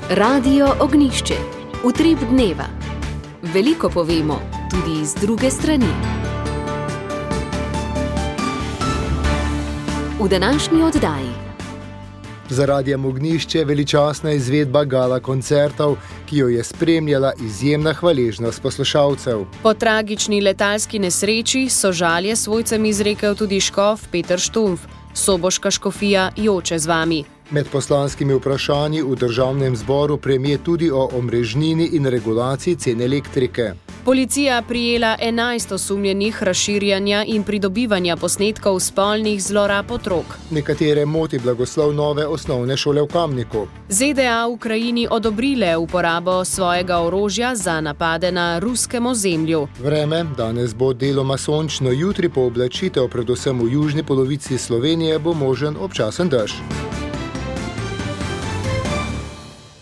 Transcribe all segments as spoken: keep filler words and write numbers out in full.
Radio Ognjišče. Utrip dneva. Veliko povemo, tudi iz druge strani. V današnji oddaji. Za Radijem Ognjišče veličastna izvedba gala koncertov, ki jo je spremljala izjemna hvaležnost poslušalcev. Po tragični letalski nesreči so žalje svojcem izrekel tudi škof Peter Štumpf. Soboška škofija joče z vami. Med poslanskimi vprašanji v državnem zboru premier tudi o omrežnini in regulaciji cen elektrike. Policija prijela enajst osumljenih razširjanja in pridobivanja posnetkov spolnih zlorab otrok. Nekatere moti blagoslov nove osnovne šole v Kamniku. Z D A Ukrajini odobrile uporabo svojega orožja za napade na ruskem ozemlju. Vreme, danes bo deloma sončno, jutri po oblačitev, predvsem v južni polovici Slovenije, bo možen občasen dež.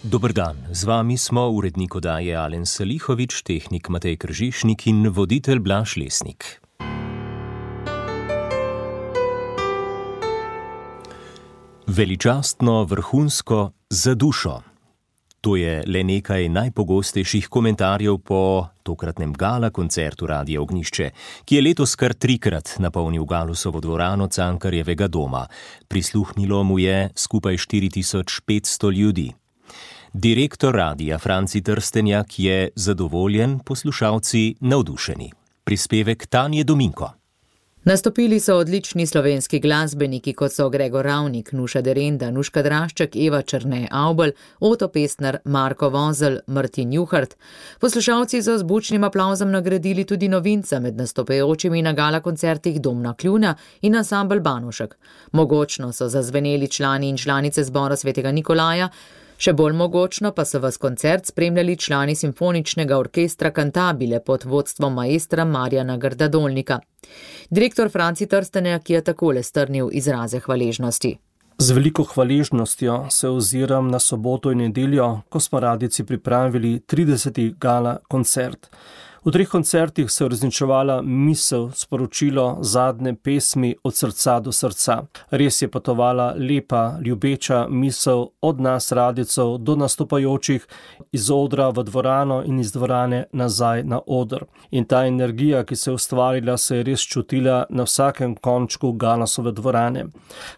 Dober dan, z vami smo urednik oddaje Alen Salihovič, tehnik Matej Kržišnik in voditelj Blaž Lesnik. Veličastno, vrhunsko, za dušo. To je le nekaj najpogostejših komentarjev po tokratnem gala koncertu Radia Ognjišče, ki je letos kar trikrat napolnil Galusovo dvorano Cankarjevega doma. Prisluhnilo mu je skupaj štiri tisoč petsto ljudi. Direktor radia Franci Trstenjak je zadovoljen, poslušalci navdušeni. Prispevek Tanje Dominko. Nastopili so odlični slovenski glasbeniki, kot so Gregor Ravnik, Nuša Derenda, Nuška Drašček, Eva Črne Avbelj, Oto Pestner, Marko Vozelj, Martin Juhart. Poslušalci so z bučnim aplavzom nagradili tudi novinca med nastopajočimi na gala koncertih Domna Kljuna in ansambel Banušek. Mogočno so zazveneli člani in članice zbora Svetega Nikolaja, še bolj mogočno pa so vas koncert spremljali člani simfoničnega orkestra Cantabile pod vodstvom maestra Marjana Grdadolnika. Direktor Franci Trstenjak je takole strnil izraze hvaležnosti. Z veliko hvaležnostjo se oziram na soboto in nedeljo, ko smo radijci pripravili trideseti gala koncert. V treh koncertih se je uresničevala misel, sporočilo zadnje pesmi od srca do srca. Res je potovala lepa, ljubeča misel od nas radijcev do nastopajočih iz odra v dvorano in iz dvorane nazaj na oder. In ta energija, ki se je ustvarila, se je res čutila na vsakem končku Galusove dvorane.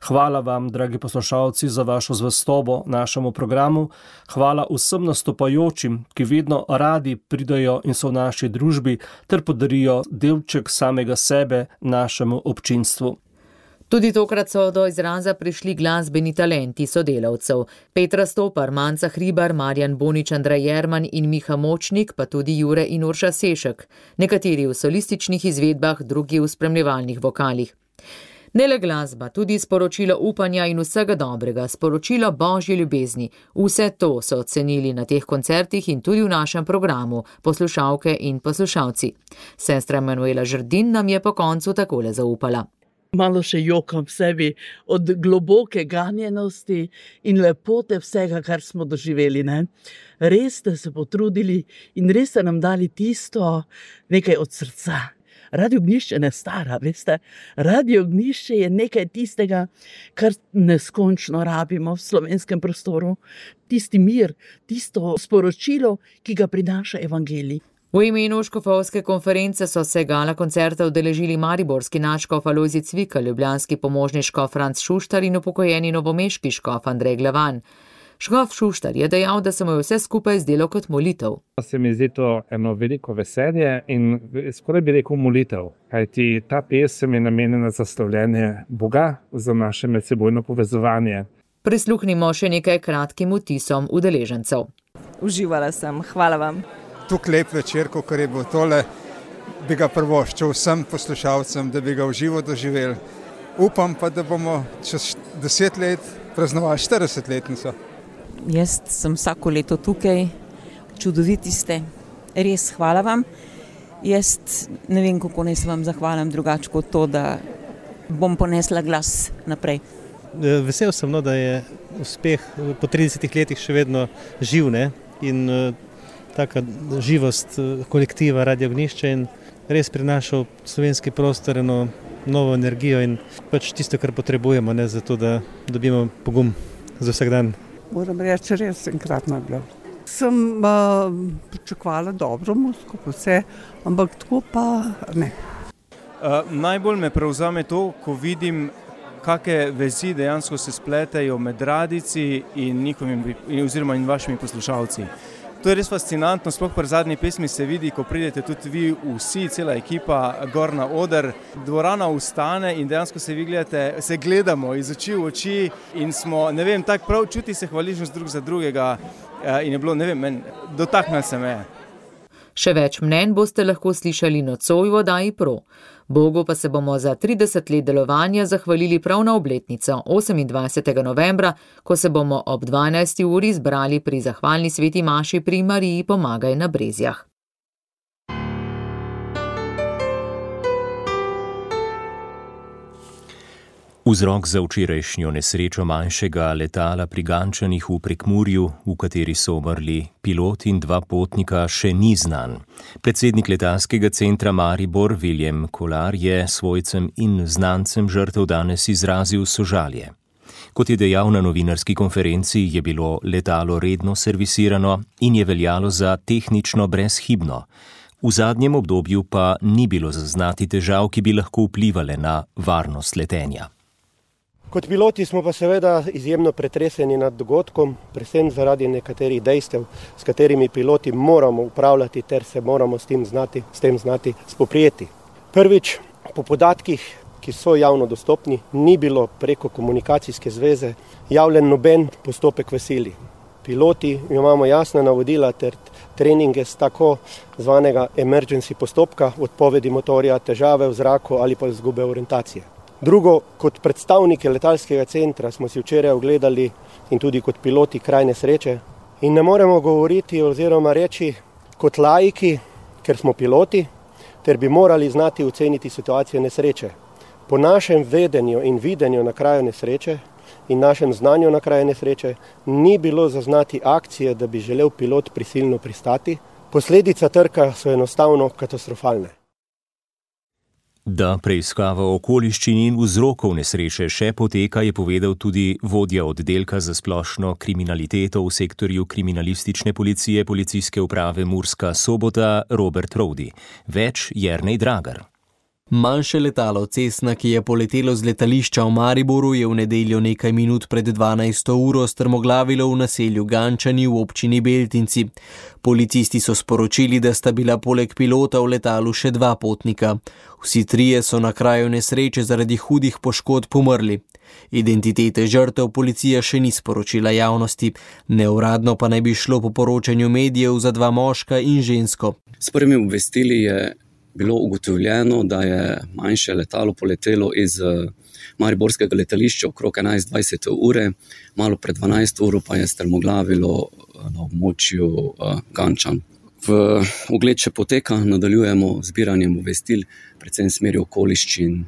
Hvala vam, dragi poslušalci, za vašo zvestobo našemu programu. Hvala vsem nastopajočim, ki vedno radi pridajo in so v naši družbi ter podarijo delček samega sebe našemu občinstvu. Tudi tokrat so do izraza prišli glasbeni talenti sodelavcev. Petra Stopar, Manca Hribar, Marjan Bonič, Andrej Jerman in Miha Močnik, pa tudi Jure in Urša Sešek. Nekateri v solističnih izvedbah, drugi v spremljevalnih vokalih. Ne le glasba, tudi sporočilo upanja in vsega dobrega, sporočilo božje ljubezni. Vse to so ocenili na teh koncertih in tudi v našem programu, poslušalke in poslušalci. Sestra Manuela Žrdin nam je po koncu takole zaupala. Malo še jokam v sebi od globoke ganjenosti in lepote vsega, kar smo doživeli. Ne? Res ste se potrudili in res ste nam dali tisto nekaj od srca. Radio Ognjišče ne stara, veste. Radio Ognjišče je nekaj tistega, kar neskončno rabimo v slovenskem prostoru. Tisti mir, tisto sporočilo, ki ga prinaša evangelij. V imenu škofovske konference so se gala koncerta udeležili mariborski nadškof Alojzij Cvikl, ljubljanski pomožni škof Franc Šuštar in upokojeni novomeški škof Andrej Glavan. Škof Šuštar je dejal, da se mu je vse skupaj zdelo kot molitev. Se mi zdi to eno veliko veselje in skoraj bi rekel molitev, kajti ta pesem je namenjena za slavljenje Boga, za naše medsebojno povezovanje. Prisluhnimo še nekaj kratkim vtisom udeležencev. Uživala sem, hvala vam. Tuk lep večer, kakor je bilo tole, bi ga prvoščil vsem poslušalcem, da bi ga v živo doživeli. Upam pa, da bomo čez deset let praznovali štiridesetletnico. Jaz sem vsako leto tukaj, čudoviti ste, res hvala vam. Jaz ne vem, kako naj se vam zahvalim drugače kot to, da bom ponesla glas naprej. Vesel sem, no, da je uspeh po tridesetih letih še vedno živ, ne? In taka živost kolektiva Radio Ognjišče in res prinaša v slovenski prostor eno novo energijo in pač tisto, kar potrebujemo, ne, zato da dobimo pogum za vsak dan. moram reči, res enkratno je bilo. Sem uh, pričakovala dobro muziko, vse, ampak tako pa ne. Uh, najbolj me prevzame to, ko vidim, kakšne vezi dejansko se spletajo med radijci in njihovimi, oziroma in vašimi poslušalci. To je res fascinantno, sploh pri zadnji pesmi se vidi, ko pridete tudi vi vsi, cela ekipa, gor na oder, dvorana ustane in dejansko se vi gledate, se gledamo iz oči v oči in smo, ne vem, tak prav čuti se hvaležnost drug za drugega in je bilo, ne vem, men, dotaknil se me. Še več mnenj boste lahko slišali nocoj v oddaji Pro. Bogu pa se bomo za trideset let delovanja zahvalili prav na obletnico osemindvajsetega novembra, ko se bomo ob dvanajsti uri zbrali pri zahvalni sveti maši pri Mariji Pomagaj na Brezjah. Vzrok za včerajšnjo nesrečo manjšega letala pri Gančanih v Prekmurju, v kateri so umrli pilot in dva potnika, še ni znan. Predsednik letalskega centra Maribor Viljem Kolar je svojcem in znancem žrtev danes izrazil sožalje. Kot je dejal na novinarski konferenci, je bilo letalo redno servisirano in je veljalo za tehnično brezhibno. V zadnjem obdobju pa ni bilo zaznati težav, ki bi lahko vplivale na varnost letenja. Kot piloti smo pa seveda izjemno pretreseni nad dogodkom, predvsem zaradi nekaterih dejstev, s katerimi piloti moramo upravljati ter se moramo s tem znati, s tem znati spoprijeti. Prvič, po podatkih, ki so javno dostopni, ni bilo preko komunikacijske zveze javljen noben postopek v sili. Piloti imamo jasna navodila ter treninge z tako zvanega emergency postopka, odpovedi motorja, težave v zraku ali pa izgube orientacije. Drugo, kot predstavniki letalskega centra smo si včeraj ogledali in tudi kot piloti kraj nesreče in ne moremo govoriti oziroma reči kot laiki, ker smo piloti, ter bi morali znati oceniti situacijo nesreče. Po našem vedenju in videnju na kraju nesreče in našem znanju na kraju nesreče ni bilo zaznati akcije, da bi želel pilot prisilno pristati. Posledica trka so enostavno katastrofalne. Da preiskava okoliščin in vzrokov nesreče še poteka, je povedal tudi vodja oddelka za splošno kriminaliteto v sektorju kriminalistične policije Policijske uprave Murska Sobota Robert Rovdi. Več Jernej Dragar. Manjše letalo Cessna, ki je poletelo z letališča v Mariboru, je v nedeljo nekaj minut pred dvanajsto uro strmoglavilo v naselju Gančani v občini Beltinci. Policisti so sporočili, da sta bila poleg pilota v letalu še dva potnika. Vsi trije so na kraju nesreče zaradi hudih poškodb umrli. Identitete žrtev policija še ni sporočila javnosti. Neuradno pa naj bi šlo po poročanju medijev za dva moška in žensko. S prvimi obvestili je bilo ugotovljeno, da je manjše letalo poletelo iz mariborskega letališča okrog enajst dvajset ure, malo pred dvanajsto uro pa je strmoglavilo na območju Gančan. V ogled še poteka, nadaljujemo zbiranjem obvestil, predvsem smeri okoliščin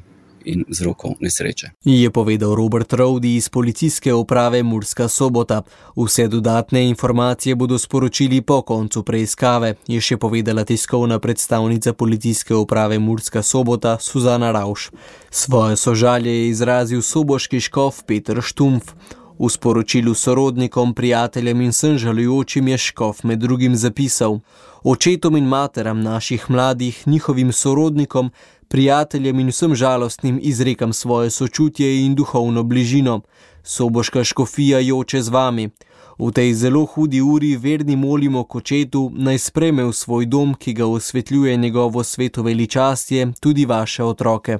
in vzrokov nesreče. Je povedal Robert Rovdi iz Policijske uprave Murska Sobota. Vse dodatne informacije bodo sporočili po koncu preiskave, je še povedala tiskovna predstavnica Policijske uprave Murska Sobota Suzana Ravš. Svoje sožalje je izrazil soboški škof Peter Štumpf. V sporočilu sorodnikom, prijateljem in vsem žalujočim je škof med drugim zapisal: očetom in materam naših mladih, njihovim sorodnikom, prijateljem in vsem žalostnim izrekam svoje sočutje in duhovno bližino. Soboška škofija joče z vami. V tej zelo hudi uri verni molimo k očetu, naj sprejme v svoj dom, ki ga osvetljuje njegovo sveto veličastje, tudi vaše otroke.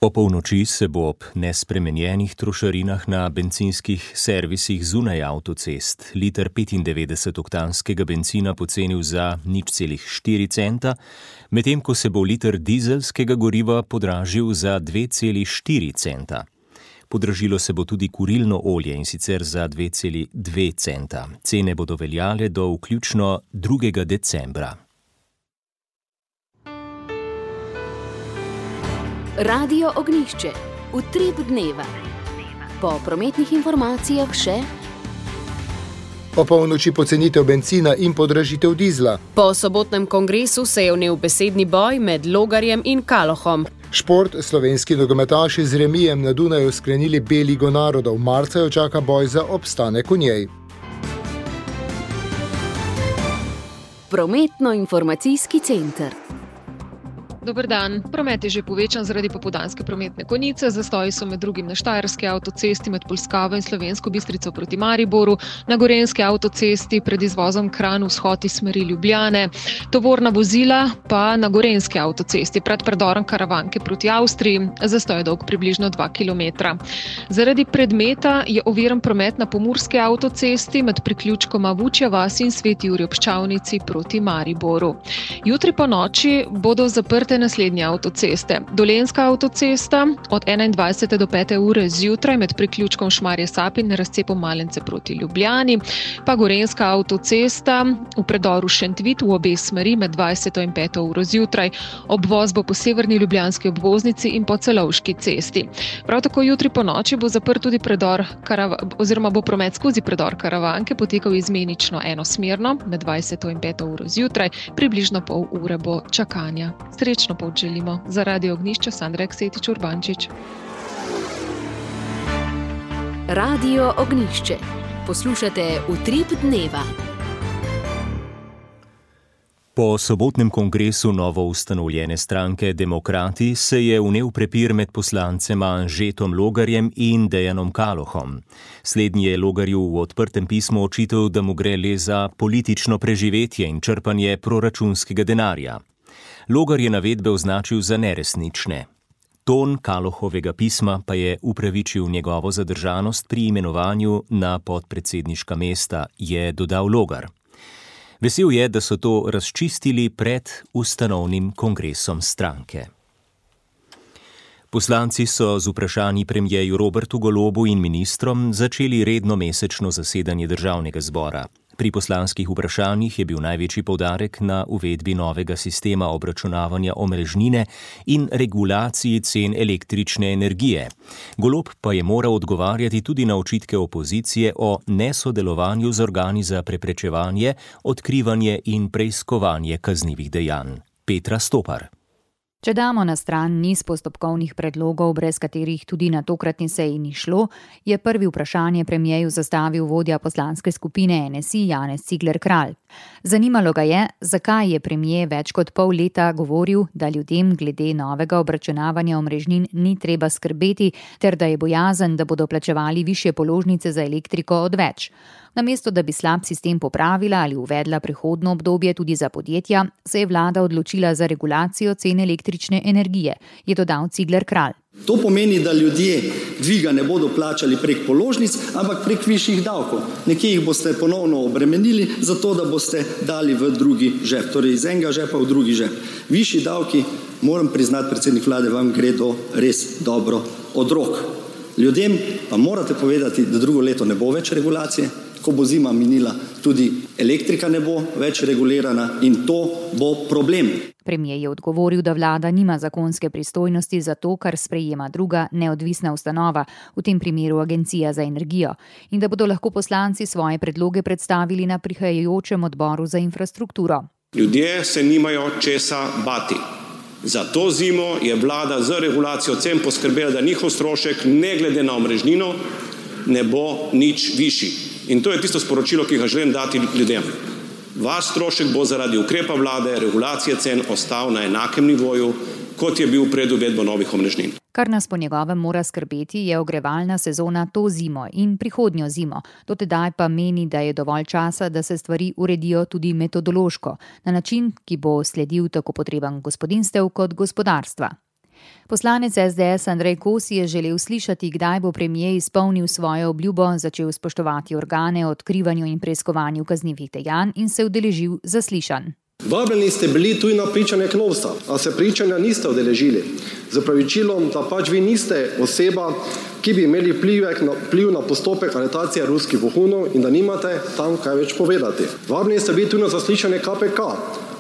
O polnoči se bo ob nespremenjenih trošarinah na bencinskih servisih zunaj avtocest liter petindevetdesetoktanskega bencina pocenil za nič celih štiri centa, medtem ko se bo liter dizelskega goriva podražil za dve celi štiri centa. Podražilo se bo tudi kurilno olje, in sicer za dve celi dve centa. Cene bodo veljale do vključno drugega decembra. Radio Ognjišče, utrip dneva. Po prometnih informacijah še po polnoči pocenitev bencina in podražitev dizla. Po sobotnem kongresu se je vnel besedni boj med Logarjem in Kalohom. Šport, slovenski nogometaši z remijem na Dunaju sklenili B ligo narodov. Marca jo čaka boj za obstanek v njej. Prometno-informacijski center. Dober dan. Promet je že povečan zaradi popoldanske prometne konice. Zastoji so med drugim na Štajerski avtocesti med Polskavo in Slovensko Bistrico proti Mariboru, na Gorenjski avtocesti pred izvozom Kranj vzhod iz smeri Ljubljane, tovorna vozila pa na Gorenjski avtocesti pred predorom Karavanke proti Avstriji. Zastoj je dolg približno dva kilometra. Zaradi predmeta je oviran promet na Pomurski avtocesti med priključkoma Vučja vas in Sveti Jurij ob Ščavnici proti Mariboru. Jutri po noči bodo zaprte naslednje avtoceste. Dolenjska avtocesta od enaindvajsete do pete ure zjutraj med priključkom Šmarje Sapin in razcepom Malence proti Ljubljani, pa Gorenjska avtocesta v predoru Šentvit v obe smeri med dvajseto in peto uro zjutraj. Obvoz bo po severni ljubljanski obvoznici in po Celovški cesti. Prav tako jutri po noči bo zaprt tudi predor Karava, oziroma bo promet skozi predor Karavanke potekal izmenično enosmerno med dvajseto in peto uro zjutraj, približno pol ure bo čakanja. Srečno pot želimo. Za Radio Ognjišče Sandra Eksetič Urbančič. Radio Ognjišče. Poslušate Utrip dneva. Po sobotnem kongresu novo ustanovljene stranke Demokrati se je vnel prepir med poslancema Anžetom Logarjem in Dejanom Kalohom. Slednji je Logarju v odprtem pismu očital, da mu gre le za politično preživetje in črpanje proračunskega denarja. Logar je navedbe označil za neresnične. Ton Kalohovega pisma pa je upravičil njegovo zadržanost pri imenovanju na podpredsedniška mesta, je dodal Logar. Vesel je, da so to razčistili pred ustanovnim kongresom stranke. Poslanci so z vprašanji premierju Robertu Golobu in ministrom začeli redno mesečno zasedanje državnega zbora. Pri poslanskih vprašanjih je bil največji poudarek na uvedbi novega sistema obračunavanja omrežnine in regulaciji cen električne energije. Golob pa je moral odgovarjati tudi na očitke opozicije o nesodelovanju z organi za preprečevanje, odkrivanje in preiskovanje kaznivih dejanj. Petra Stopar. Če damo na stran niz postopkovnih predlogov, brez katerih tudi na tokratni seji ni šlo, je prvi vprašanje premierju zastavil vodja poslanske skupine N S I Janez Cigler Kralj. Zanimalo ga je, zakaj je premier več kot pol leta govoril, da ljudem glede novega obračunavanja omrežnin ni treba skrbeti, ter da je bojazen, da bodo plačevali višje položnice za elektriko odveč. Namesto da bi slab sistem popravila ali uvedla prehodno obdobje tudi za podjetja, se je vlada odločila za regulacijo cen električne energije, je dodal Cigler Kralj. To pomeni, da ljudje dviga ne bodo plačali prek položnic, ampak prek višjih davkov. Nekje jih boste ponovno obremenili, zato da boste dali v drugi žep, torej iz enega žepa v drugi žep. Višji davki, moram priznati, predsednik vlade, vam gredo res dobro od rok. Ljudem pa morate povedati, da drugo leto ne bo več regulacije. Ko bo zima minila, tudi elektrika ne bo več regulirana in to bo problem. Premier je odgovoril, da vlada nima zakonske pristojnosti za to, kar sprejema druga neodvisna ustanova, v tem primeru Agencija za energijo, in da bodo lahko poslanci svoje predloge predstavili na prihajajočem odboru za infrastrukturo. Ljudje se nimajo česa bati. Za to zimo je vlada z regulacijo cen poskrbela, da njihov strošek, ne glede na omrežnino, ne bo nič višji. In to je tisto sporočilo, ki ga želim dati ljudem. Vaš strošek bo zaradi ukrepa vlade, regulacije cen ostal na enakem nivoju, kot je bil pred uvedbo novih omrežnin. Kar nas po njegovem mora skrbeti, je ogrevalna sezona to zimo in prihodnjo zimo. Do tedaj pa meni, da je dovolj časa, da se stvari uredijo tudi metodološko, na način, ki bo sledil tako potrebam gospodinjstev kot gospodarstva. Poslanec S D S Andrej Kosi je želel slišati, kdaj bo premier izpolnil svojo obljubo, začel spoštovati organe o odkrivanju in preiskovanju kaznivih dejanj in se udeležil zaslišanj. Vabljeni ste bili tudi na pričanje Knovsa, a se pričanja niste udeležili. Z opravičilom, da pač vi niste oseba, ki bi imeli vpliv na postopek aretacije ruskih vohunov in da nimate tam kaj več povedati. Vabljeni ste bili tudi na zaslišanje K P K,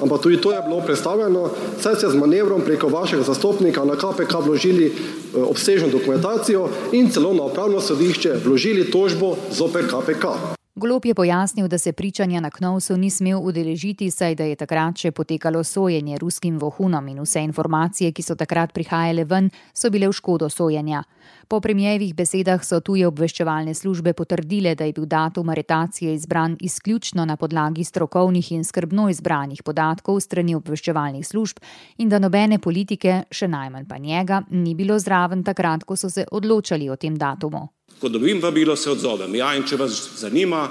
ampak tudi to je bilo predstavljeno, saj ste z manevrom preko vašega zastopnika na K P K vložili obsežno dokumentacijo in celo na upravno sodišče vložili tožbo zoper K P K. Golob je pojasnil, da se pričanja na Knovsu ni smel udeležiti, saj da je takrat še potekalo sojenje ruskim vohunom in vse informacije, ki so takrat prihajale ven, so bile v škodo sojenja. Po premierjevih besedah so tuje obveščevalne službe potrdile, da je bil datum aretacije izbran izključno na podlagi strokovnih in skrbno izbranih podatkov strani obveščevalnih služb in da nobene politike, še najmanj pa njega, ni bilo zraven takrat, ko so se odločali o tem datumu. Ko dobim vabilo, se odzovem. Ja, in če vas zanima,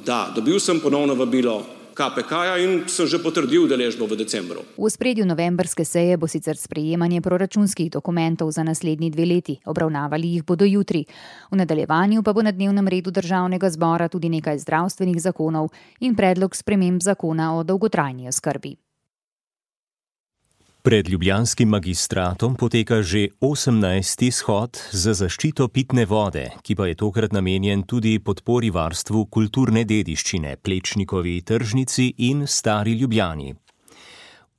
da, dobil sem ponovno vabilo K P K-ja in sem že potrdil udeležbo v decembru. V ospredju novembrske seje bo sicer sprejemanje proračunskih dokumentov za naslednji dve leti. Obravnavali jih bodo jutri. V nadaljevanju pa bo na dnevnem redu državnega zbora tudi nekaj zdravstvenih zakonov in predlog sprememb zakona o dolgotrajni oskrbi. Pred ljubljanskim magistratom poteka že osemnajsti shod za zaščito pitne vode, ki pa je tokrat namenjen tudi podpori varstvu kulturne dediščine, Plečnikovi tržnici in Stari Ljubljani.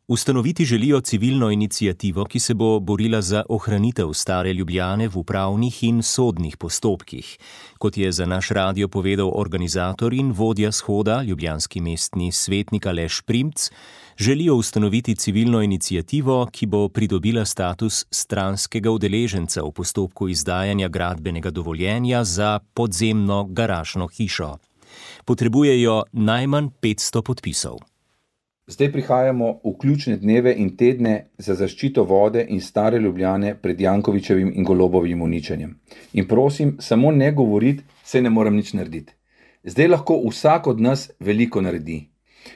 Ustanoviti želijo civilno iniciativo, ki se bo borila za ohranitev Stare Ljubljane v upravnih in sodnih postopkih. Kot je za naš radio povedal organizator in vodja shoda, ljubljanski mestni svetnik Aleš Primc, želijo ustanoviti civilno iniciativo, ki bo pridobila status stranskega udeleženca v postopku izdajanja gradbenega dovoljenja za podzemno garažno hišo. Potrebujejo najmanj petsto podpisov. Zdaj prihajamo v ključne dneve in tedne za zaščito vode in Stare Ljubljane pred Jankovićevim in Golobovim uničenjem. In prosim, samo ne govoriti, saj ne morem nič narediti. Zdaj lahko vsak od nas veliko naredi.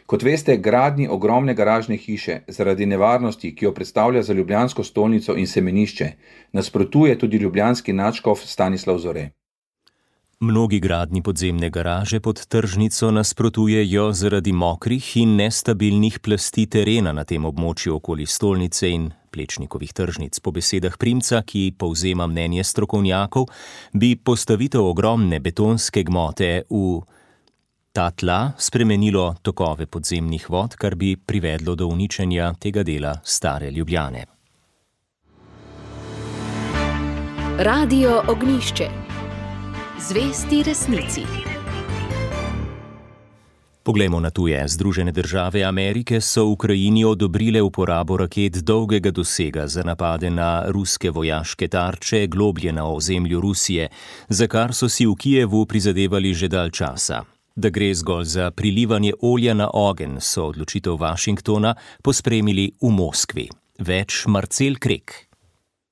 Kot veste, gradnji ogromne garažne hiše zaradi nevarnosti, ki jo predstavlja za ljubljansko stolnico in semenišče, nasprotuje tudi ljubljanski nadškof Stanislav Zore. Mnogi gradnji podzemne garaže pod tržnico nasprotujejo zaradi mokrih in nestabilnih plasti terena na tem območju okoli stolnice in Plečnikovih tržnic. Po besedah Primca, ki povzema mnenje strokovnjakov, bi postavitev ogromne betonske gmote v ta tla spremenilo tokove podzemnih vod, kar bi privedlo do uničenja tega dela Stare Ljubljane. Radio Ognjišče. Zvesti resnici. Poglejmo na tuje. Združene države Amerike so Ukrajini odobrile uporabo raket dolgega dosega za napade na ruske vojaške tarče globlje na ozemlju Rusije, za kar so si v Kijevu prizadevali že dalj časa. Da gre zgolj za prilivanje olja na ogenj, so odločitev Washingtona pospremili v Moskvi. Več Marcel Krek.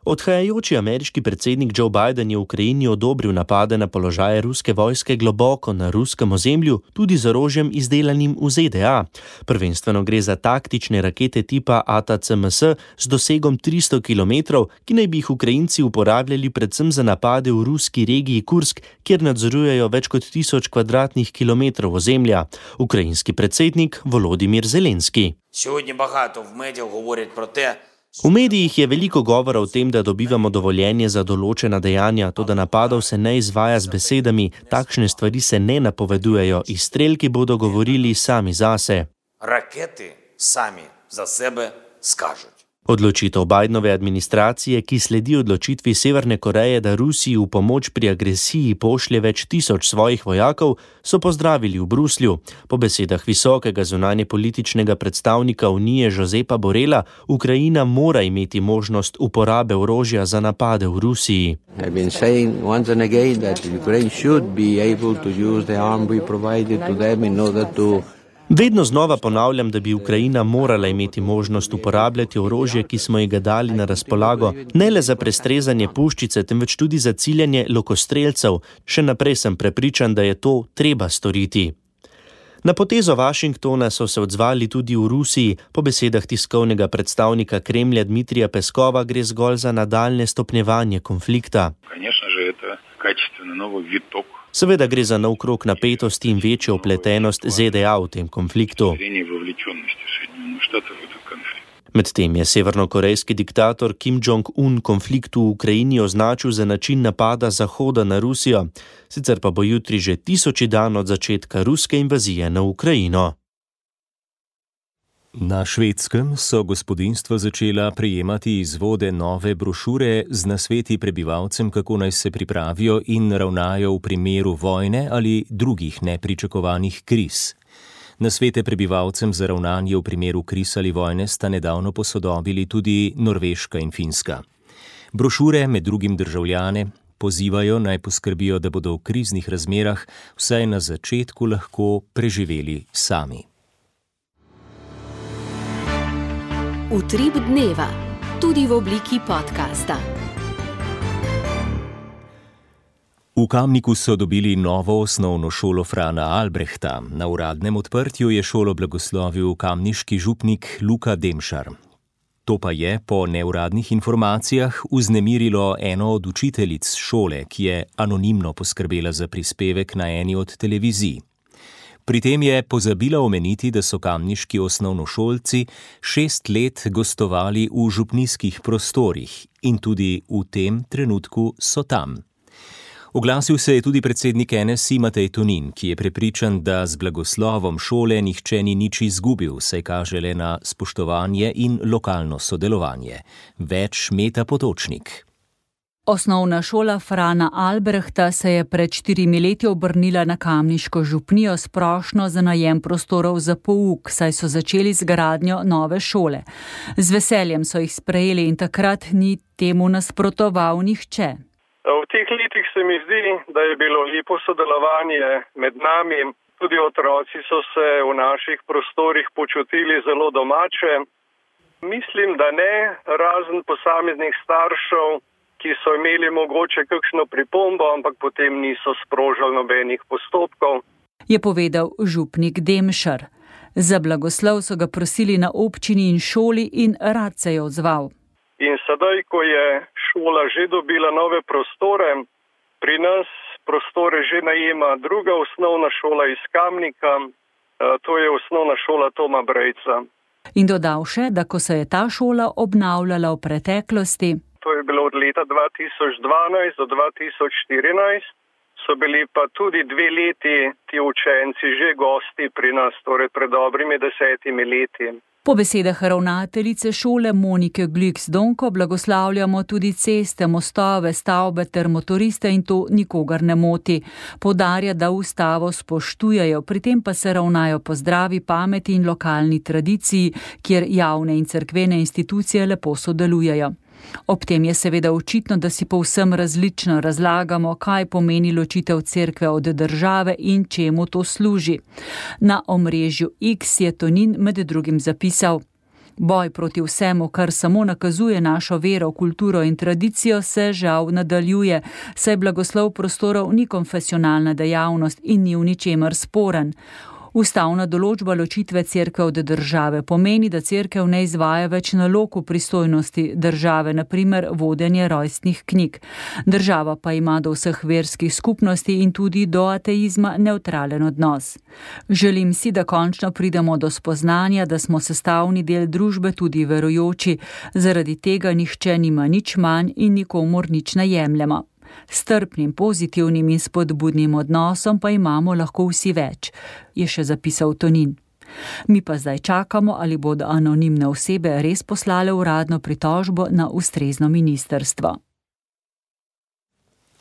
Odhajajoči ameriški predsednik Joe Biden je v Ukrajini odobril napade na položaje ruske vojske globoko na ruskem ozemlju, tudi z orožjem izdelanim v Z D A. Prvenstveno gre za taktične rakete tipa A T A C M S z dosegom tristo kilometrov, ki naj bi jih Ukrajinci uporabljali predvsem za napade v ruski regiji Kursk, kjer nadzorujejo več kot tisoč kvadratnih kilometrov ozemlja. Ukrajinski predsednik Volodimir Zelenski. Сьогодні багато в медіях говорять про те, V medijih je veliko govora o tem, da dobivamo dovoljenje za določena dejanja, toda napadov se ne izvaja z besedami, takšne stvari se ne napovedujejo, izstrelki bodo govorili sami zase. Raketi sami za sebe skažуть. Odločitev Bidenove administracije, ki sledi odločitvi Severne Koreje, da Rusiji v pomoč pri agresiji pošlje več tisoč svojih vojakov, so pozdravili v Bruslju. Po besedah visokega zunanjepolitičnega predstavnika Unije Josepa Borela, Ukrajina mora imeti možnost uporabe orožja za napade v Rusiji. I've been saying once and again that Ukraine should be able to use the arm we provided to them in order to Vedno znova ponavljam, da bi Ukrajina morala imeti možnost uporabljati orožje, ki smo ji ga dali na razpolago, ne le za prestrezanje puščice, temveč tudi za ciljanje lokostrelcev. Še naprej sem prepričan, da je to treba storiti. Na potezo Washingtona so se odzvali tudi v Rusiji. Po besedah tiskovnega predstavnika Kremlja Dmitrija Peskova gre zgolj za nadaljne stopnjevanje konflikta. Seveda gre za nov krog napetosti in večjo vpletenost Z D A v tem konfliktu. Medtem je severnokorejski diktator Kim Jong-un konflikt v Ukrajini označil za način napada Zahoda na Rusijo, sicer pa bo jutri že tisoči dan od začetka ruske invazije na Ukrajino. Na Švedskem so gospodinjstva začela prejemati izvode nove brošure z nasveti prebivalcem, kako naj se pripravijo in ravnajo v primeru vojne ali drugih nepričakovanih kriz. Nasvete prebivalcem za ravnanje v primeru kriz ali vojne sta nedavno posodobili tudi Norveška in Finska. Brošure med drugim državljane pozivajo naj poskrbijo, da bodo v kriznih razmerah vsaj na začetku lahko preživeli sami. Utrip dneva, tudi v obliki podcasta. V Kamniku so dobili novo osnovno šolo Frana Albrehta. Na uradnem odprtju je šolo blagoslovil kamniški župnik Luka Demšar. To pa je, po neuradnih informacijah, vznemirilo eno od učiteljic šole, ki je anonimno poskrbela za prispevek na eni od televizij. Pri tem je pozabila omeniti, da so kamniški osnovnošolci šest let gostovali v župnijskih prostorih in tudi v tem trenutku so tam. Oglasil se je tudi predsednik N S I Matej Tonin, ki je prepričan, da z blagoslovom šole nihče ni nič izgubil, saj kaže le na spoštovanje in lokalno sodelovanje. Več Meta Potočnik. Osnovna šola Frana Albrehta se je pred štirimi leti obrnila na kamniško župnijo s prošnjo za najem prostorov za pouk, saj so začeli z gradnjo nove šole. Z veseljem so jih sprejeli in takrat ni temu nasprotoval nihče. V teh letih se mi zdi, da je bilo lepo sodelovanje med nami. Tudi otroci so se v naših prostorih počutili zelo domače. Mislim, da ne, razen posameznih staršev, ki so imeli mogoče kakšno pripombo, ampak potem niso sprožili nobenih postopkov. Je povedal župnik Demšar. Za blagoslov so ga prosili na občini in šoli in rad se je odzval. In sedaj, ko je šola že dobila nove prostore, pri nas prostore že najema druga osnovna šola iz Kamnika, to je osnovna šola Toma Brejca. In dodal še, da ko se je ta šola obnavljala v preteklosti, to je bilo od leta dva tisoč dvanajst do dva tisoč štirinajst, so bili pa tudi dve leti ti učenci že gosti pri nas, torej pred dobrimi desetimi leti. Po besedah ravnateljice šole Monike Glücksdonko blagoslavljamo tudi ceste, mostove, stavbe ter motoriste in to nikogar ne moti. Poudarja, da ustavo spoštujejo, pri tem pa se ravnajo po zdravi pameti in lokalni tradiciji, kjer javne in cerkvene institucije lepo sodelujejo. Ob tem je seveda očitno, da si povsem različno razlagamo, kaj pomeni ločitev cerkve od države in čemu to služi. Na omrežju X je Tonin med drugim zapisal: Boj proti vsemu, kar samo nakazuje našo vero, kulturo in tradicijo, se žal nadaljuje, saj blagoslov prostorov ni konfesionalna dejavnost in ni v ničemer sporen. Ustavna določba ločitve cerkve od države pomeni, da cerkev ne izvaja več nalog v pristojnosti države, na primer vodenje rojstnih knjig. Država pa ima do vseh verskih skupnosti in tudi do ateizma nevtralen odnos. Želim si, da končno pridemo do spoznanja, da smo sestavni del družbe tudi verujoči, zaradi tega nihče nima nič manj in nikomur nič ne jemljemo. Strpnim, pozitivnim in spodbudnim odnosom pa imamo lahko vsi več, je še zapisal Tonin. Mi pa zdaj čakamo, ali bodo anonimne osebe res poslale uradno pritožbo na ustrezno ministrstvo.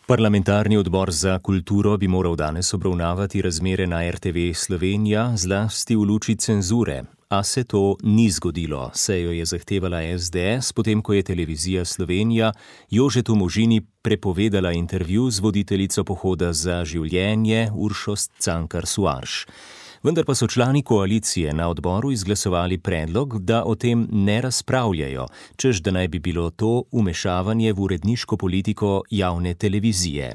Parlamentarni odbor za kulturo bi moral danes obravnavati razmere na R T V Slovenija, zlasti v luči cenzure. A se to ni zgodilo, saj jo je zahtevala S D S, potem ko je televizija Slovenija Jožetu Možini prepovedala intervju z voditeljico Pohoda za življenje Uršo Cankar Suarš. Vendar pa so člani koalicije na odboru izglasovali predlog, da o tem ne razpravljajo, češ da naj bi bilo to vmešavanje v uredniško politiko javne televizije.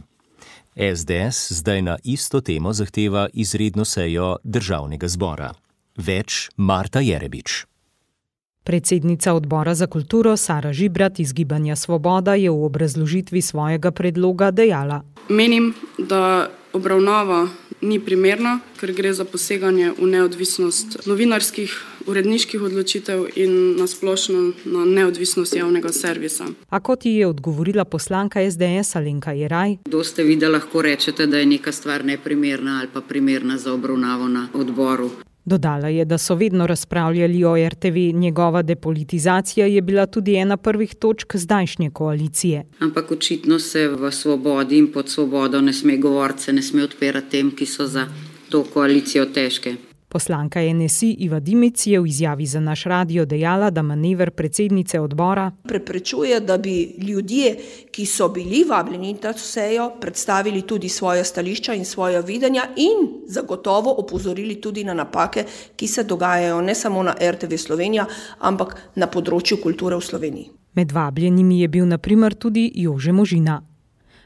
S D S zdaj na isto temo zahteva izredno sejo Državnega zbora. Več Marta Jerebič. Predsednica odbora za kulturo Sara Žibrat iz Gibanja Svoboda je v obrazložitvi svojega predloga dejala: Menim, da obravnava ni primerna, ker gre za poseganje v neodvisnost novinarskih, uredniških odločitev in na splošno na neodvisnost javnega servisa. A kot ji je odgovorila poslanka S D S Alenka Jeraj: Kdo ste vi, da lahko rečete, da je neka stvar neprimerna ali pa primerna za obravnavo na odboru? Dodala je, da so vedno razpravljali o er te ve, njegova depolitizacija je bila tudi ena prvih točk zdajšnje koalicije. Ampak očitno se v Svobodi in pod Svobodo ne sme govoriti, se ne sme odpirati tem, ki so za to koalicijo težke. Poslanka en es i Iva Dimic je v izjavi za naš radio dejala, da manever predsednice odbora preprečuje, da bi ljudje, ki so bili vabljeni na to sejo, predstavili tudi svoje stališča in svoje videnja in zagotovo opozorili tudi na napake, ki se dogajajo ne samo na er te ve Slovenija, ampak na področju kulture v Sloveniji. Med vabljenimi je bil na primer tudi Jože Možina.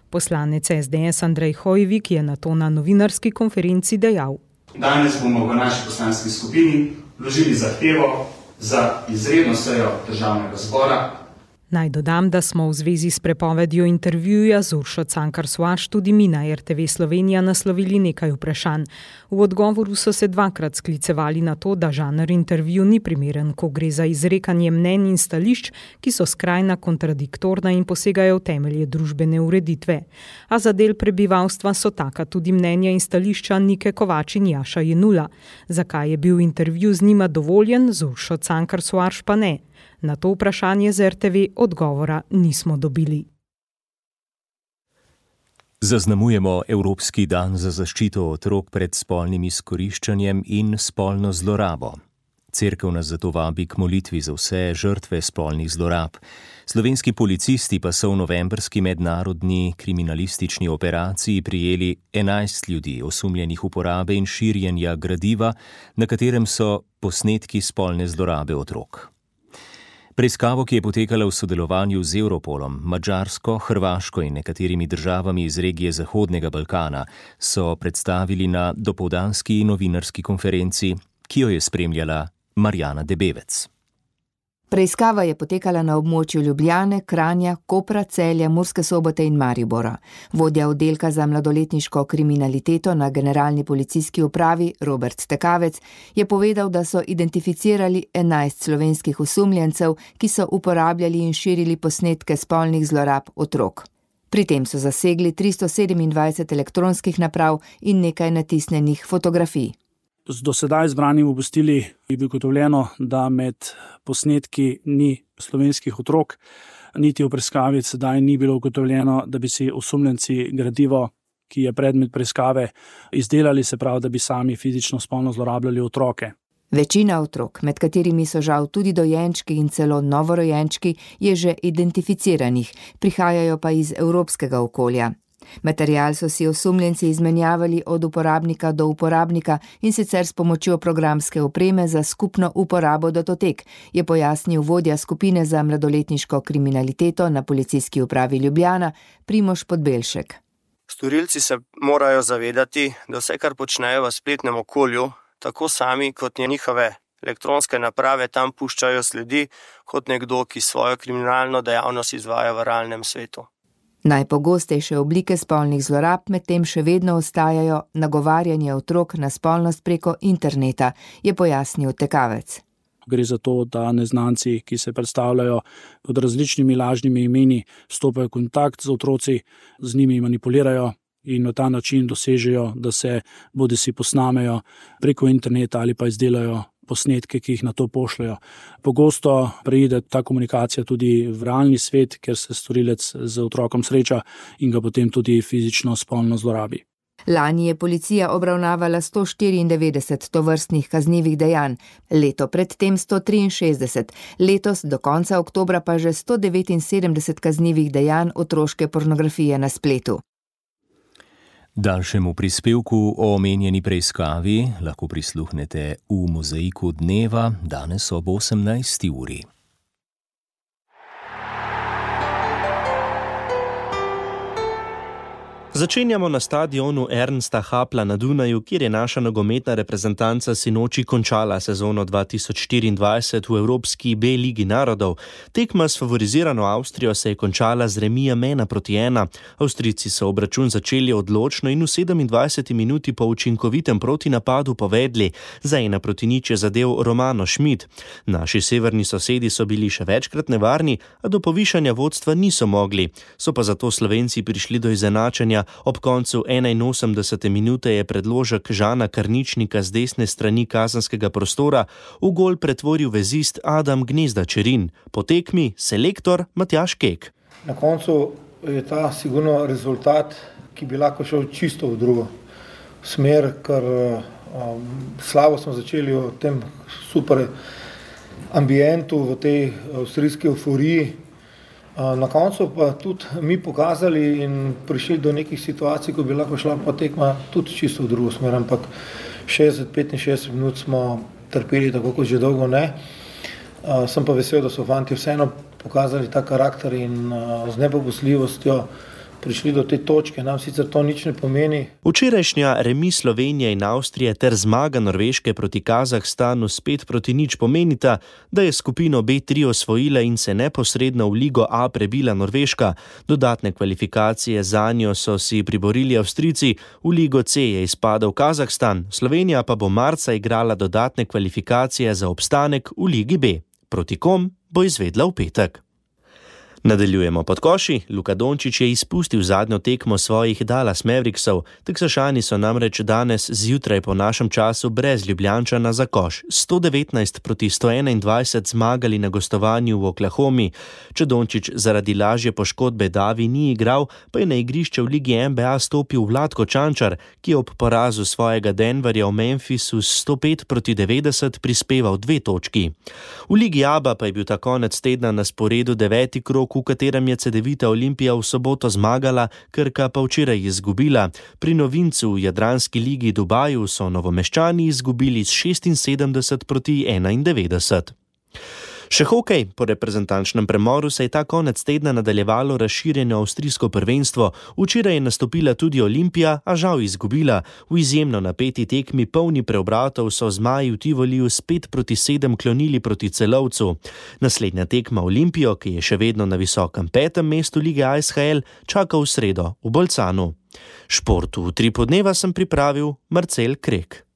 Poslanec es de es Andrej Hojvik je nato na novinarski konferenci dejal: Danes bomo v naši poslanski skupini vložili zahtevo za izredno sejo državnega zbora. Naj dodam, da smo v zvezi s prepovedjo intervjuja z Uršo Cankar Soares tudi mi na er te ve Slovenija naslovili nekaj vprašanj. V odgovoru so se dvakrat sklicevali na to, da žanr intervju ni primeren, ko gre za izrekanje mnenj in stališč, ki so skrajna kontradiktorna in posegajo v temelje družbene ureditve. A za del prebivalstva so taka tudi mnenja in stališča Nike Kovač in Jaša Jenula. Zakaj je bil intervju z njima dovoljen, z Uršo Cankar Soares pa ne? Na to vprašanje z er te ve odgovora nismo dobili. Zaznamujemo Evropski dan za zaščito otrok pred spolnim izkoriščanjem in spolno zlorabo. Cerkev nas zato vabi k molitvi za vse žrtve spolnih zlorab. Slovenski policisti pa so v novembrski mednarodni kriminalistični operaciji prijeli enajst ljudi, osumljenih uporabe in širjenja gradiva, na katerem so posnetki spolne zlorabe otrok. Preiskavo, ki je potekala v sodelovanju z Europolom, Madžarsko, Hrvaško in nekaterimi državami iz regije Zahodnega Balkana, so predstavili na dopoldanski novinarski konferenci, ki jo je spremljala Marjana Debevec. Preiskava je potekala na območju Ljubljane, Kranja, Kopra, Celja, Murske Sobote in Maribora. Vodja oddelka za mladoletniško kriminaliteto na generalni policijski upravi Robert Tekavec je povedal, da so identificirali enajst slovenskih osumljencev, ki so uporabljali in širili posnetke spolnih zlorab otrok. Pri tem so zasegli tristo sedemindvajset elektronskih naprav in nekaj natisnjenih fotografij. Z dosedaj zbranim obvestili je bilo ugotovljeno, da med posnetki ni slovenskih otrok, niti v preiskavi sedaj ni bilo ugotovljeno, da bi si osumljenci gradivo, ki je predmet preiskave, izdelali, se pravi, da bi sami fizično spolno zlorabljali otroke. Večina otrok, med katerimi so žal tudi dojenčki in celo novorojenčki, je že identificiranih, prihajajo pa iz evropskega okolja. Material so si osumljenci izmenjavali od uporabnika do uporabnika in sicer s pomočjo programske opreme za skupno uporabo datotek, je pojasnil vodja skupine za mladoletniško kriminaliteto na policijski upravi Ljubljana, Primož Podbelšek. Storilci se morajo zavedati, da vse, kar počnejo v spletnem okolju, tako sami kot njihove elektronske naprave tam puščajo sledi, kot nekdo, ki svojo kriminalno dejavnost izvaja v realnem svetu. Najpogostejše oblike spolnih zlorab medtem še vedno ostajajo nagovarjanje otrok na spolnost preko interneta, je pojasnil Tekavec. Gre za to, da neznanci, ki se predstavljajo pod različnimi lažnimi imeni, stopajo v kontakt z otroci, z njimi manipulirajo in na ta način dosežejo, da se bodisi posnamejo preko interneta ali pa izdelajo posnetke, ki jih na to pošljajo. Pogosto preide ta komunikacija tudi v realni svet, ker se storilec z otrokom sreča in ga potem tudi fizično spolno zlorabi. Lani je policija obravnavala sto štiriindevetdeset tovrstnih kaznivih dejanj, leto predtem sto triinšestdeset, letos do konca oktobra pa že sto devetinsedemdeset kaznivih dejanj otroške pornografije na spletu. Daljšemu prispevku o omenjeni preiskavi lahko prisluhnete v Mozaiku dneva danes ob osemnajsti uri. Začenjamo na stadionu Ernsta Happla na Dunaju, kjer je naša nogometna reprezentanca sinoči končala sezono dva tisoč štiriindvajset v Evropski B ligi narodov. Tekma s favorizirano Avstrijo se je končala z remijem ena proti ena. Avstrijci so obračun začeli odločno in v sedemindvajseti minuti po učinkovitem protinapadu povedli. Za ena proti nič je zadel Romano Schmidt. Naši severni sosedi so bili še večkrat nevarni, a do povišanja vodstva niso mogli. So pa zato Slovenci prišli do izenačenja Ob koncu enainosemdesete minute je predložek Žana Karničnika z desne strani kazenskega prostora v gol pretvoril vezist Adam Gnezda Čerin. Po tekmi selektor Matjaž Kek. Na koncu je ta sigurno rezultat, ki bi lahko šel čisto v drugo smer, ker um, slabo smo začeli v tem super ambientu, v tej avstrijski euforiji. Na koncu pa tudi mi pokazali in prišli do nekih situacij, ko bi lahko šla pa tekma tudi čisto v drugo smer, ampak šestdeset do petinšestdeset minut smo trpeli, tako kot že dolgo ne. Sem pa vesel, da so fanti vseeno pokazali ta karakter in z nepopustljivostjo prišli do te točke. Nam sicer to nič ne pomeni. Včerajšnja remi Slovenije in Avstrije ter zmaga Norveške proti Kazahstanu spet proti nič pomenita, da je skupino B tri osvojila in se neposredno v Ligo A prebila Norveška. Dodatne kvalifikacije zanjo so si priborili Avstrijci, v Ligo C je izpadel Kazahstan, Slovenija pa bo marca igrala dodatne kvalifikacije za obstanek v Ligi B. Proti kom bo izvedla v petek. Nadaljujemo pod koši. Luka Dončić je izpustil zadnjo tekmo svojih Dallas Mavericksov. Teksašani so namreč danes zjutraj po našem času brez Ljubljančana za koš sto devetnajst proti sto enaindvajset zmagali na gostovanju v Oklahomi. Če Dončić zaradi lažje poškodbe davi ni igral, pa je na igrišče v Ligi N B A stopil Vlatko Čančar, ki je ob porazu svojega Denverja v Memphisu s sto pet proti devetdeset prispeval dve točki. V Ligi A B A pa je bil ta konec tedna na sporedu deveti krog, v katerem je Cedevita Olimpija v soboto zmagala, Krka pa včeraj izgubila. Pri novincu v Jadranski ligi Dubaju so Novomeščani izgubili s šestinsedemdeset proti enaindevetdeset. Še hokej. Po reprezentančnem premoru se je ta konec tedna nadaljevalo razširjeno avstrijsko prvenstvo. Včeraj je nastopila tudi Olimpija, a žal izgubila. V izjemno napeti tekmi polni preobratov so zmaji v Tivoliju spet proti sedem klonili proti Celovcu. Naslednja tekma Olimpijo, ki je še vedno na visokem petem mestu lige A S H L, čaka v sredo v Bolcanu. Športu v tri podneva sem pripravil Marcel Krek.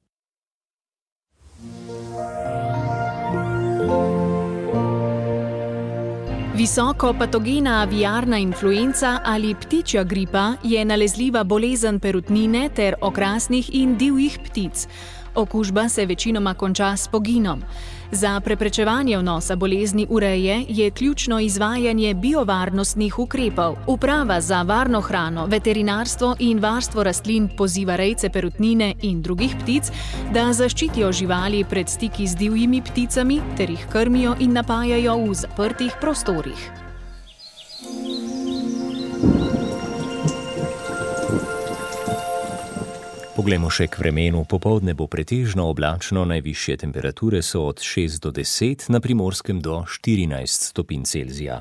Visoko patogena aviarna influenca ali ptičja gripa je nalezljiva bolezen perutnine ter okrasnih in divjih ptic. Okužba se večinoma konča s poginom. Za preprečevanje vnosa bolezni v reje je ključno izvajanje biovarnostnih ukrepov. Uprava za varno hrano, veterinarstvo in varstvo rastlin poziva rejce perutnine in drugih ptic, da zaščitijo živali pred stiki z divjimi pticami ter jih krmijo in napajajo v zaprtih prostorih. Poglejmo še k vremenu. Popoldne bo pretežno oblačno, najvišje temperature so od šest do deset, na Primorskem do štirinajst stopinj Celzija.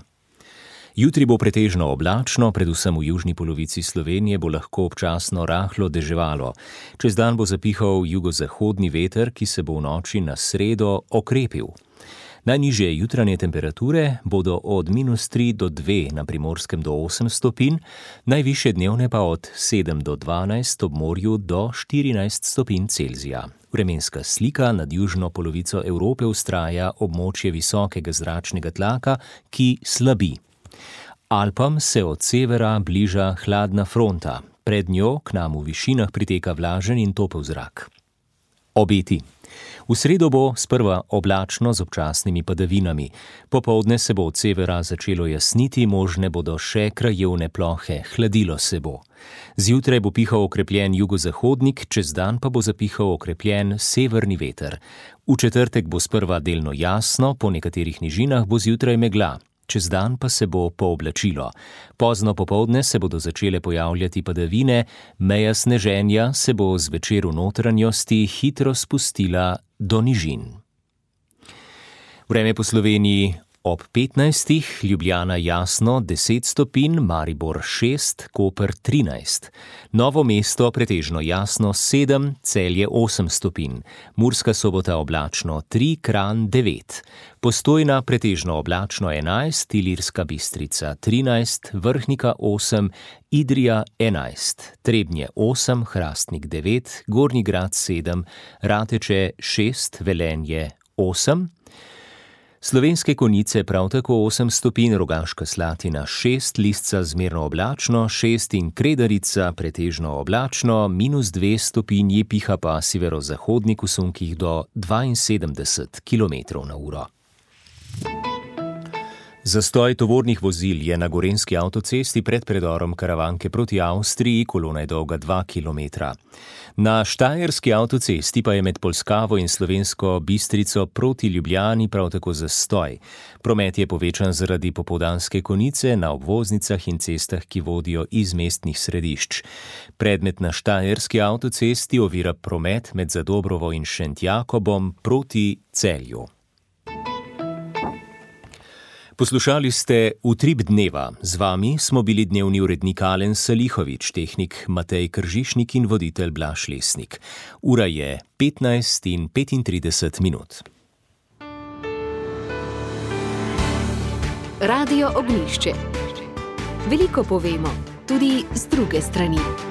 Jutri bo pretežno oblačno, predvsem v južni polovici Slovenije bo lahko občasno rahlo deževalo. Čez dan bo zapihal jugozahodni veter, ki se bo v noči na sredo okrepil. Najnižje jutranje temperature bodo od minus tri do dve, na Primorskem do osem stopinj, najvišje dnevne pa od sedem do dvanajst, ob morju do štirinajst stopinj Celzija. Vremenska slika nad južno polovico Evrope vztraja območje visokega zračnega tlaka, ki slabi. Alpam se od severa bliža hladna fronta. Pred njo k nam v višinah priteka vlažen in topel zrak. Obeti. V sredo bo sprva oblačno z občasnimi padavinami. Popoldne se bo od severa začelo jasniti, možne bodo še krajevne plohe, hladilo se bo. Zjutraj bo pihal okrepljen jugozahodnik, čez dan pa bo zapihal okrepljen severni veter. V četrtek bo sprva delno jasno, po nekaterih nižinah bo zjutraj megla. Čez dan pa se bo pooblačilo. Pozno popoldne se bodo začele pojavljati padavine, meja sneženja se bo zvečer v notranjosti hitro spustila do nižin. Vreme po Sloveniji ob petnajstih, Ljubljana jasno deset stopinj, Maribor šest, Koper trinajst. Novo mesto pretežno jasno sedem, Celje osem stopinj. Murska Sobota oblačno tri, Kranj devet. Postojna pretežno oblačno enajst, Ilirska Bistrica trinajst, Vrhnika osem, Idrija enajst, Trebnje osem, Hrastnik devet, Gornji Grad sedem, Rateče šest, Velenje osem, Slovenske Konjice prav tako osem stopinj, Rogaška Slatina šest, Lisca zmerno oblačno, šest in Kredarica pretežno oblačno, minus dve stopinji, piha pa severozahodnik v sunkih do dvainsedemdeset kilometrov na uro. Zastoj tovornih vozil je na gorenjski avtocesti pred predorom Karavanke proti Avstriji, kolona je dolga dva kilometra. Na štajerski avtocesti pa je med Polskavo in Slovensko Bistrico proti Ljubljani prav tako zastoj. Promet je povečan zaradi popoldanske konice na obvoznicah in cestah, ki vodijo iz mestnih središč. Predmet na štajerski avtocesti ovira promet med Zadobrovo in Šentjakobom proti Celju. Poslušali ste Utrip dneva. Z vami smo bili dnevni urednik Alen Salihovič, tehnik Matej Kržišnik in voditelj Blaž Lesnik. Ura je petnajst in petintrideset minut. Radio Ognjišče. Veliko povemo, tudi z druge strani.